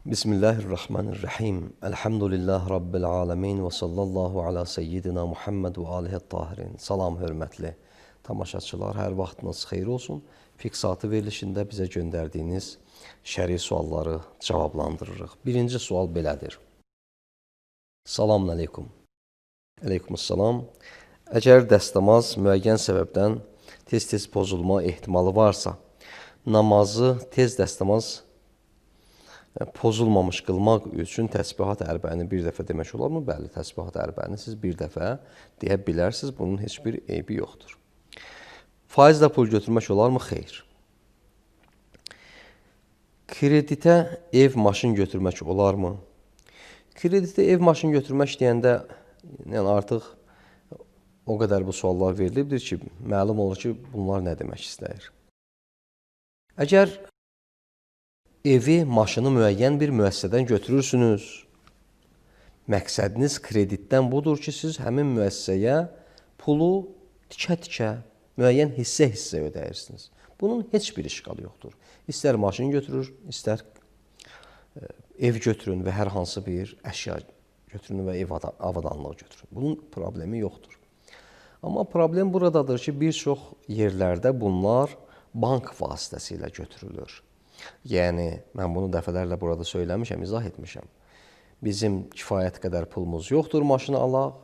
Bismillahirrahmanirrahim. Elhamdülillah Rabbil alemin və sallallahu ala seyyidina Muhammed və alihi tahirin. Salam hörmətli tamaşaçılar, hər vaxtınız xeyir olsun. Fiksatı verilişində bizə göndərdiyiniz şəri sualları cavablandırırıq. Birinci sual belədir. Salamun aleykum. Aleykumussalam. Əgər dəstəmaz müəyyən səbəbdən tez-tez pozulma ehtimalı varsa, namazı tez dəstəmaz pozulmamış qılmaq üçün təsbihat ərbəni bir dəfə demək olarmı? Bəli, təsbihat ərbəni siz bir dəfə deyə bilərsiniz. Bunun heç bir eybi yoxdur. Faizlə pul götürmək olarmı? Xeyr. Kreditə ev, maşın götürmək olarmı? Kreditə ev, maşın götürmək deyəndə yəni artıq o qədər bu suallar verilibdir ki, məlum olur ki, bunlar nə demək istəyir. Əgər evi, maşını müəyyən bir müəssisədən götürürsünüz. Məqsədiniz kreditdən budur ki, siz həmin müəssisəyə pulu tikə-tikə, müəyyən hissə-hissə ödəyirsiniz. Bunun heç bir işqalı yoxdur. İstər maşın götürür, istər ev götürün və hər hansı bir əşya götürün və ev avadanlığı götürün. Bunun problemi yoxdur. Amma problem buradadır ki, bir çox yerlərdə bunlar bank vasitəsilə götürülür. Yəni, mən bunu dəfələrlə burada söyləmişəm, izah etmişəm. Bizim kifayət qədər pulumuz yoxdur, maşını alaq,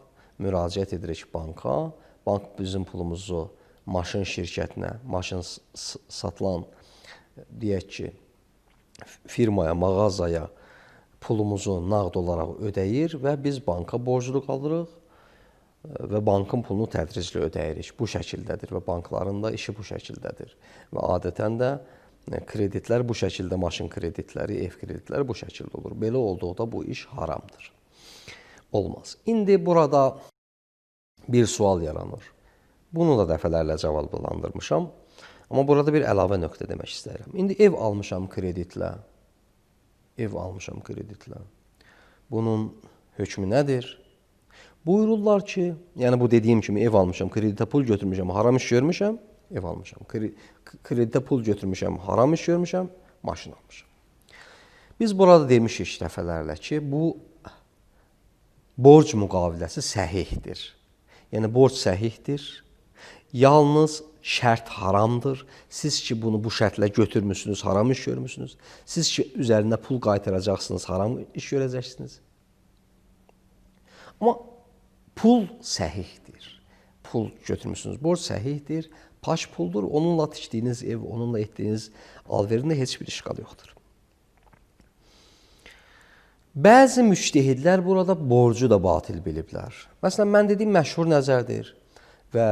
müraciət edirik banka. Bank bizim pulumuzu maşın şirkətinə, maşın satılan, deyək ki, firmaya, mağazaya pulumuzu nağd olaraq ödəyir və biz banka borclu qalırıq və bankın pulunu tədricli ödəyirik. Bu şəkildədir və bankların da işi bu şəkildədir. Və adətən də kreditlər bu şəkildə, maşın kreditləri, ev kreditləri bu şəkildə olur. Belə olduqda bu iş haramdır. Olmaz. İndi burada bir sual yaranır. Bunu da dəfələrlə cavablandırmışam. Amma burada bir əlavə nöqtə demək istəyirəm. İndi ev almışam kreditlə. Ev almışam kreditlə. Bunun hökmü nədir? Buyururlar ki, yəni bu dediyim kimi ev almışam, kreditə pul götürmüşəm, haram iş görmüşəm. Ev almışam, kreditə pul götürmüşəm, haram iş görmüşəm, maşın almışam. Biz burada demişik dəfələrlə ki, bu borc müqaviləsi səhihdir. Yəni, borc səhihdir. Yalnız şərt haramdır. Siz ki, bunu bu şərtlə götürmüşsünüz, haram iş görmüşsünüz. Siz ki, üzərində pul qaytaracaqsınız, haram iş görəcəksiniz. Amma pul səhihdir. Pul götürmüşsünüz, borc səhihdir. Paş puldur, onunla tikdiyiniz ev, onunla etdiyiniz alverində heç bir işqal yoxdur. Bəzi müştehidlər burada borcu da batil biliblər. Məsələn, mən dediyim məşhur nəzərdir və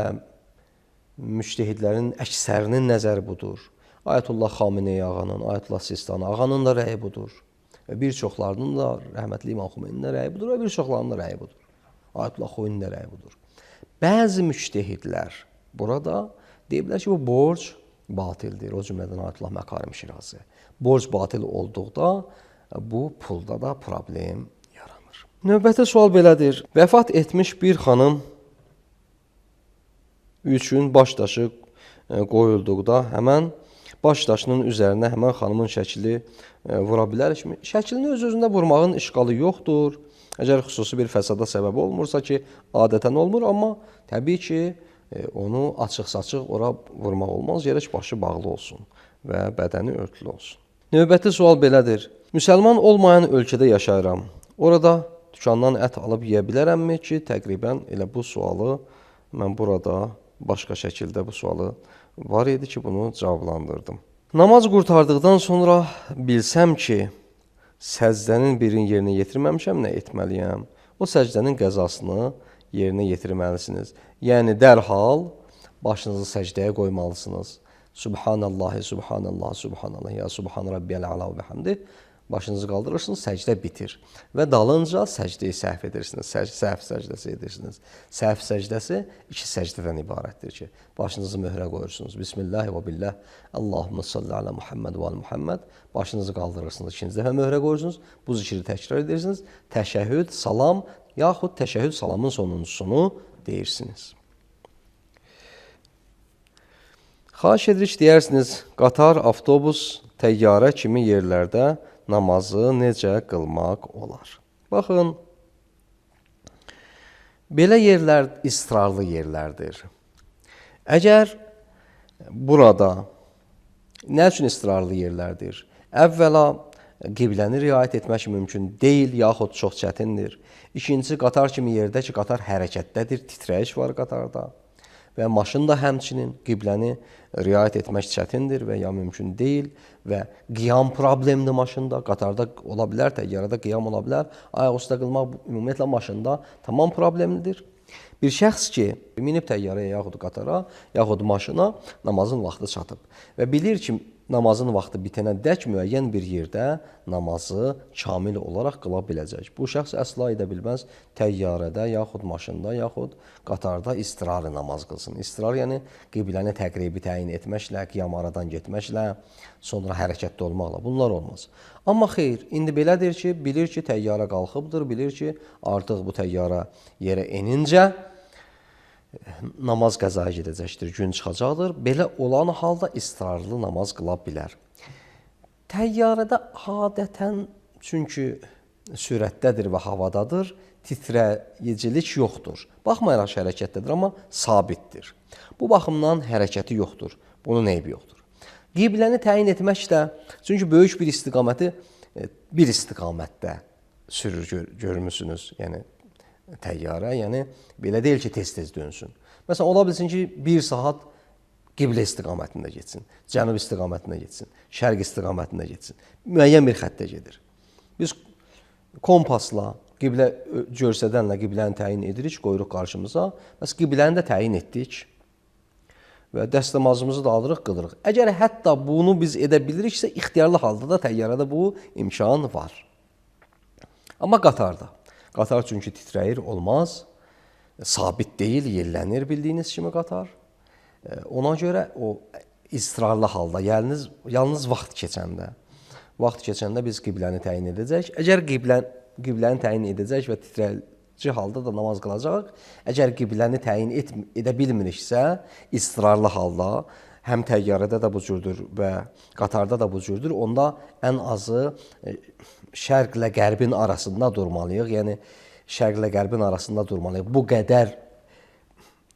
müştehidlərin əksərinin nəzəri budur. Ayətullah Xameneyi ağanın, Ayətullah Sistani ağanın da rəyi budur. Və bir çoxlarının da, rəhmətli İmam Xomeynin də rəyi budur və bir çoxlarının da rəyi budur. Ayətullah Xoyinin də rəyi budur. Bəzi müştehidlər burada deyiblər ki, bu borc batildir. O cümlədən Ayətullah Məkarim Şirazi. Borc batil olduqda bu pulda da problem yaranır. Növbəti sual belədir. Vəfat etmiş bir xanım üçün baş daşı qoyulduqda həmən baş daşının üzərinə həmən xanımın şəkili vura bilərikmi? Şəklini öz-özündə vurmağın işqalı yoxdur. Əgər xüsusi bir fəsada səbəb olmursa ki, adətən olmur, amma təbii ki, onu açıq-saçıq ora vurmaq olmaz, gərək başı bağlı olsun və bədəni örtülü olsun. Növbəti sual belədir. Müsəlman olmayan ölkədə yaşayıram. Orada dükandan ət alıb yeyə bilərəmmi ki, təqribən elə bu sualı mən burada başqa şəkildə bu sualı var idi ki, bunu cavablandırdım. Namaz qurtardıqdan sonra bilsəm ki, səcdənin birini yerinə yetirməmişəm, nə etməliyəm? O səcdənin qəzasını yerinə yetirməlisiniz. Yəni, dərhal başınızı səcdəyə qoymalısınız. Subhanallahi, subhanallah, subhanallah, ya subhan rabbiyəl əla və bihamdi. Başınızı qaldırırsınız, səcdə bitir. Və dalınca səcdəyi səhv edirsiniz, səhv səcdəsi edirsiniz. Səhv səcdəsi 2 səcdədən ibarətdir ki, başınızı möhrə qoyursunuz. Bismillah və billah, Allahümme salli alə Muhammed və alə Muhammed. Başınızı qaldırırsınız, 2-ci dəfə möhrə qoyursunuz. Bu zikri təkrar edirsiniz. Təşəhhüd, salam, yaxud təşəhhüd salamın sonuncusunu deyirsiniz. Xahiş edirik, deyərsiniz, qatar, avtobus, təyyarə kimi yerlərdə namazı necə qılmaq olar? Baxın, belə yerlər israrlı yerlərdir. Əgər burada nə üçün israrlı yerlərdir? Əvvəla, qibləni riayət etmək mümkün deyil, yaxud çox çətindir. İkincisi, qatar kimi yerdə ki, qatar hərəkətdədir, titrəyiş var qatarda. Və maşın da həmçinin qibləni riayət etmək çətindir və ya mümkün deyil və qiyam problemli maşında, qatarda ola bilər, təyyarədə qiyam ola bilər. Ayaq üstə qılmaq ümumiyyətlə maşında tamam problemlidir. Bir şəxs ki, minib təyyarəyə yaxud qatara, yaxud maşına namazın vaxtı çatıb və bilir ki, namazın vaxtı bitənə dək müəyyən bir yerdə namazı kamil olaraq qıla biləcək. Bu şəxs əsla edə bilməz təyyarədə, yaxud maşında, yaxud qatarda istirarı namaz qılsın. İstirar yəni qibləni təqribi təyin etməklə, qiyam aradan getməklə, sonra hərəkətdə olmaqla. Bunlar olmaz. Amma xeyr, indi belədir ki, bilir ki, təyyarə qalxıbdır, bilir ki, artıq bu təyyarə yerə enincə namaz qəzaya gedəcəkdir, gün çıxacaqdır. Belə olan halda istirarlı namaz qıla bilər. Təyyarədə adətən, çünki sürətdədir və havadadır, titrəyicilik yoxdur. Baxmayaraq hərəkətdədir, amma sabitdir. Bu baxımdan hərəkəti yoxdur, bunun eybi yoxdur. Qibləni təyin etmək də, çünki böyük bir istiqaməti bir istiqamətdə sürür, görmüsünüz, yəni təyyarə, yəni belə deyil ki, tez-tez dönsün. Məsələn, ola bilsin ki, 1 saat qiblə istiqamətində getsin, cənub istiqamətində getsin, şərq istiqamətində getsin. Müəyyən bir xəttə gedir. Biz kompasla, qiblə görsədənlə qibləni təyin edirik, qoyuruq qarşımıza. Bəs qibləni də təyin etdik və dəstəmazımızı da alırıq, qılırıq. Əgər hətta bunu biz edə biliriksə, ixtiyarlı halda da təyyarədə bu imkan var. Amma qatarda. Qatar çünki titrəyir, olmaz, sabit deyil, yellənir bildiyiniz kimi qatar. Ona görə o israrlı halda, yalnız vaxt keçəndə biz qibləni təyin edəcək. Əgər qibləni təyin edəcək və titrəyici halda da namaz qılacaq, əgər qibləni təyin edə bilmiriksə, israrlı halda, həm təyyarədə də bu cürdür və qatarda da bu cürdür, onda ən azı şərqlə qərbin arasında durmalıyıq. Yəni, şərqlə qərbin arasında durmalıyıq. Bu qədər,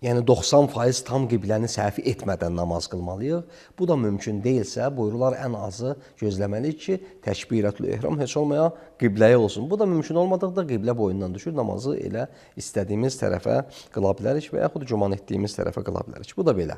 yəni 90% tam qibləni səhv etmədən namaz qılmalıyıq. Bu da mümkün deyilsə, buyurular ən azı gözləməliyik ki, təkbirətül ehram heç olmaya qibləyə olsun. Bu da mümkün olmadıqda qiblə boyundan düşür, namazı elə istədiyimiz tərəfə qıla bilərik və yaxud güman etdiyimiz tərəfə qıla bilərik. Bu da belə.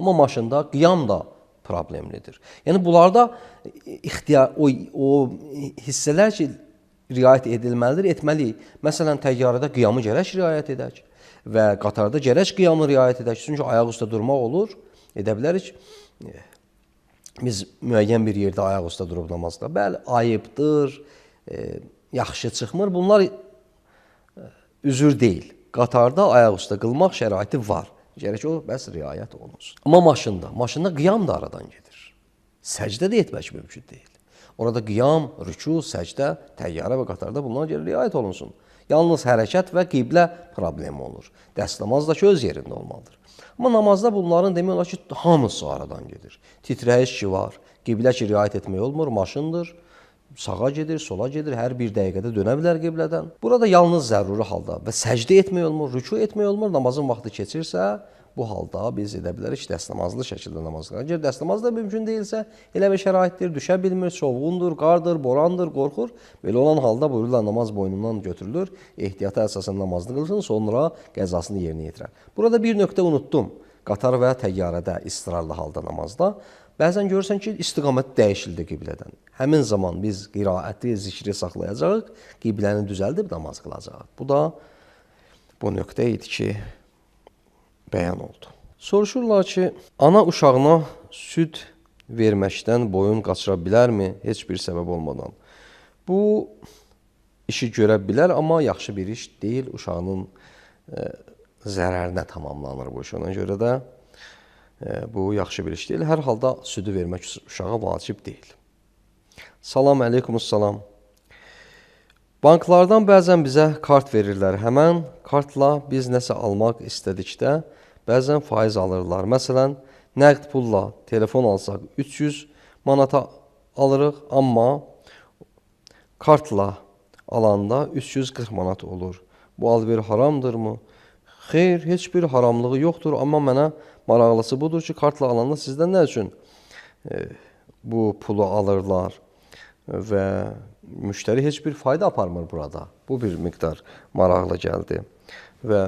Amma maşında qiyam da problemlidir. Yəni, bunlarda o hissələr ki, riayət edilməlidir, etməliyik. Məsələn, təyyarədə qiyamı gərək riayət edək və qatarda gərək qiyamı riayət edək. Çünki ayaq üstə durmaq olur, edə bilərik. Biz müəyyən bir yerdə ayaq üstə durub namazda. Bəli, ayıbdır, yaxşı çıxmır. Bunlar üzür deyil. Qatarda ayaq üstə qılmaq şəraiti var. Gərək o, bəs riayət olunsun. Amma maşında qiyam da aradan gedir. Səcdə də etmək mümkün deyil. Orada qiyam, rüku, səcdə, təyyarə və qatarda bunlara görə riayət olunsun. Yalnız hərəkət və qiblə problemi olur. Dəstəmaz da ki, öz yerində olmalıdır. Amma namazda bunların demək olar ki, hamısı aradan gedir. Titrəyiş ki var, qiblə ki riayət etmək olmur, maşındır. Sağa gedir, sola gedir, hər bir dəqiqədə dönə bilər qiblədən. Burada yalnız zəruri halda və səcdə etmək olmur, rükû etmək olmur, namazın vaxtı keçirsə, bu halda biz edə bilərik ki, dəstəmazlı şəkildə namaz qılaq. Əgər dəstəmaz da mümkün deyilsə, elə bir şəraitdir, düşə bilmir, çovğundur, qardır, borandır, qorxur. Belə olan halda buyururlar, namaz boynundan götürülür, ehtiyata əsasən namazını qılsın, sonra qəzasını yerinə yetirər. Burada bir nöqtə unutdum. Qatar və təyyarədə, istirarlı halda namazda. Bəzən görürsən ki, istiqamət dəyişildi qiblədən. Həmin zaman biz qiraəti, zikri saxlayacağıq, qibləni düzəldib namaz qılacağıq. Bu da bu nöqtə idi ki, bəyan oldu. Soruşurlar ki, ana uşağına süd verməkdən boyun qaçıra bilərmi heç bir səbəb olmadan? Bu işi görə bilər, amma yaxşı bir iş deyil. Uşağının zərərinə tamamlanır bu iş. Ona görə də bu yaxşı bir iş deyil. Hər halda südü vermək uşağa vacib deyil. Salam əleykumussalam. Banklardan bəzən bizə kart verirlər. Həmən kartla biz nəsə almaq istədikdə bəzən faiz alırlar. Məsələn, nəqd pulla telefon alsaq 300 manata alırıq, amma kartla alanda 340 manat olur. Bu alver haramdırmı? Xeyr, heç bir haramlığı yoxdur, amma mənə maraqlısı budur ki, kartla alanda sizdən nə üçün bu pulu alırlar və müştəri heç bir fayda aparmır burada. Bu bir miqdar maraqlı gəldi və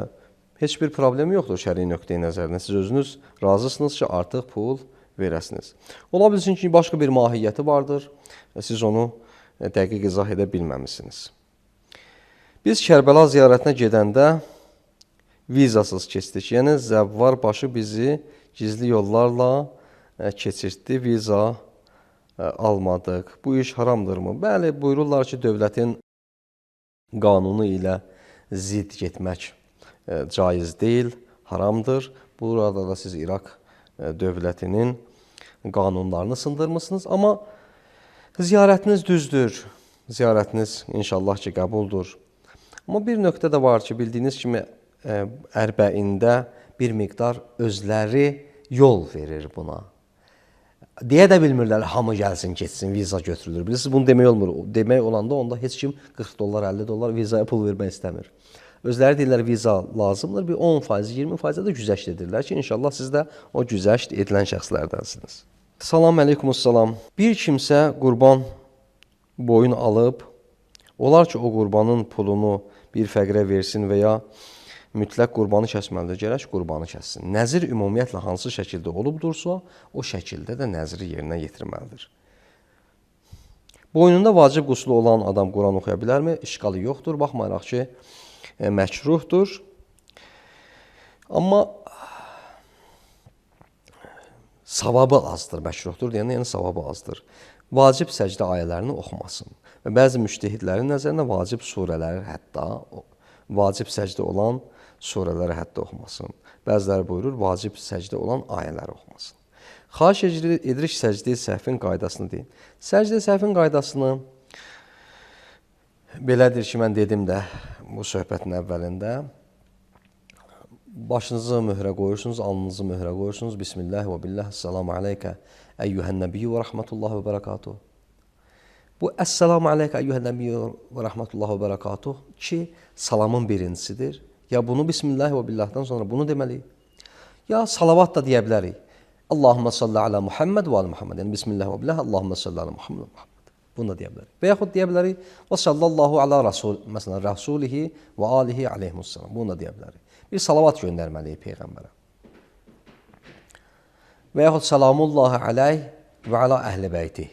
heç bir problem yoxdur şəri nöqteyi nəzərindən. Siz özünüz razısınız ki, artıq pul verəsiniz. Ola bilsin ki, başqa bir mahiyyəti vardır və siz onu dəqiq izah edə bilməmisiniz. Biz Kərbəla ziyarətinə gedəndə vizasız keçdik. Yəni, zəvvar başı bizi gizli yollarla keçirtdi, viza almadıq. Bu iş haramdırmı? Bəli, buyururlar ki, dövlətin qanunu ilə zidd getmək caiz deyil, haramdır. Burada da siz İraq dövlətinin qanunlarını sındırmışsınız. Amma ziyarətiniz düzdür, ziyarətiniz inşallah ki, qəbuldur. Amma bir nöqtə də var ki, bildiyiniz kimi, ərbəində bir miqdar özləri yol verir buna. Deyə də bilmirlər, hamı gəlsin, keçsin, viza götürülür. Bilirsiniz, bunu demək olmur. Demək olanda onda heç kim 40 dollar, 50 dollar vizaya pul vermək istəmir. Özləri deyirlər, viza lazımdır. Bir 10%, 20% də güzəşt edirlər ki, inşallah siz də o güzəşt edilən şəxslərdənsiniz. Salam əleykumussalam. Bir kimsə qurban boyun alıb, olar ki, o qurbanın pulunu bir fəqirə versin və ya mütləq qurbanı kəsməlidir, gərək qurbanı kəssin. Nəzir ümumiyyətlə hansı şəkildə olubdursa, o şəkildə də nəziri yerinə yetirməlidir. Boynunda vacib quslu olan adam Quran oxuya bilərmi? İşqalı yoxdur, baxmayaraq ki, məkruhdur. Amma savabı azdır, məkruhdur deyəndə, yəni savabı azdır. Vacib səcdə ayələrini oxumasın. Və bəzi müştəhidlərin nəzərində vacib surələri hətta, vacib səcdə olan surələri hətta oxumasın. Bəziləri buyurur, vacib səcdə olan ayələri oxumasın. Xahiş edirik səcdə-i səhvin qaydasını deyin. Səcdə-i səhvin qaydasını belədir ki, mən dedim də bu söhbətin əvvəlində. Başınızı möhrə qoyursunuz, alnınızı möhrə qoyursunuz. Bismillah və billah, əssalamu aleykə, əyyuhən nəbiyyə və rəhmətullah və bərəkatuhu. Bu əssalamu aleykə, əyyuhən nəbiyyə və rəhmətullah və bərəkatuhu ki, salamın birincisidir. Ya bunu Bismillah və billahdan sonra bunu deməliyik. Ya salavat da deyə bilərik. Allahümmə salli alə Muhammed və alə Muhammed. Yəni Bismillah və billah, Allahümmə salli alə Muhammed və Muhammed. Bunu da deyə bilərik. Və yaxud deyə bilərik. Və sallallahu alə məsələn, rəsulihi və alihi aleyhimussalam. Bunu da deyə bilərik. Bir salavat göndərməliyik Peyğəmbərə. Və yaxud salamullahi aleyh və alə əhli beyti.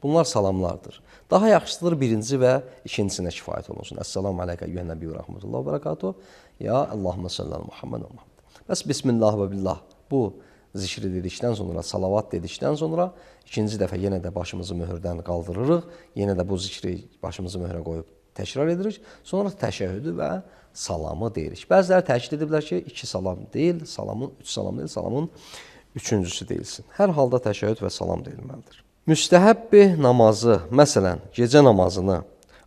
Bunlar salamlardır. Daha yaxşısıdır birinci və ikincisinə kifayət olunsun. Əssalamu aleykə əyyuhən nəbiyyə və rəhmətullah və bərəkatuhu. Ya Allahümmə salli alə Muhammed və Muhammed. Bəs Bismillah və billah. Bu zikri dedikdən sonra, salavat dedikdən sonra ikinci dəfə yenə də başımızı möhürdən qaldırırıq. Yenə də bu zikri başımızı möhrə qoyub təkrar edirik. Sonra təşəhhüdü və salamı deyirik. Bəziləri təkid ediblər ki, 2 salam deyil, salamın 3 salam deyil, salamın üçüncüsü deyilsin. Hər halda təşəhhüd və salam deyilməlidir. Müstəhəbbi namazı, məsələn, gecə namazını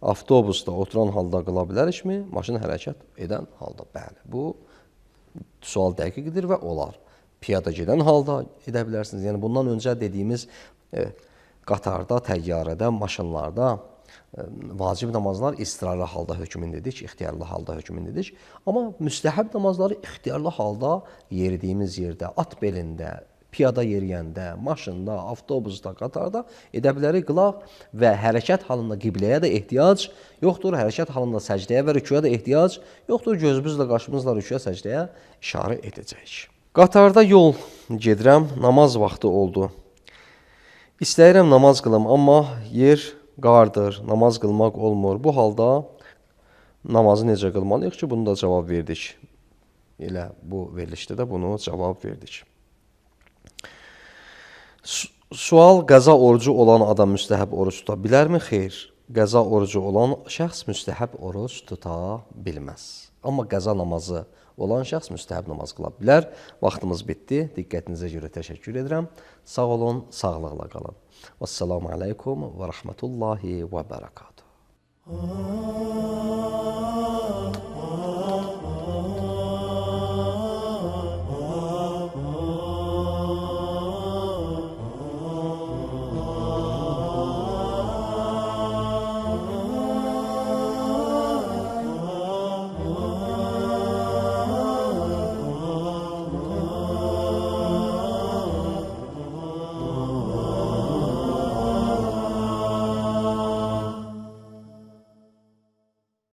avtobusda oturan halda qıla bilərikmi? Maşın hərəkət edən halda, bəli. Bu sual dəqiqdir və olar. Piyada gedən halda edə bilərsiniz. Yəni bundan öncə dediyimiz qatarda, təyyarədə, maşınlarda vacib namazlar istirarlı halda hökmündedir, ixtiyarlı halda hökmündedir. Amma müstəhəb namazları ixtiyarlı halda yeridiyimiz yerdə, at belində, piyada yeriyəndə, maşında, avtobusda, qatarda edə bilərik qılaq və hərəkət halında qibləyə də ehtiyac yoxdur, hərəkət halında səcdəyə və rükuya da ehtiyac yoxdur, gözümüzlə, qaşımızla rükuya, səcdəyə işarə edəcəyik. Qatarda yol gedirəm, namaz vaxtı oldu. İstəyirəm namaz qılım, amma yer qardır, namaz qılmaq olmur. Bu halda namazı necə qılmalıyıq ki, bunu da cavab verdik. Elə bu verilişdə də bunu cavab verdik. Sual, qəza orucu olan adam müstəhəb oruç tuta bilərmi? Xeyr, qəza orucu olan şəxs müstəhəb oruç tuta bilməz. Amma qəza namazı olan şəxs müstəhəb namaz qıla bilər. Vaxtımız bitdi. Diqqətinizə görə təşəkkür edirəm. Sağ olun, sağlıqla qalın. Vəssalamu aleykum və rəhmətullahi və bərəkatuhu.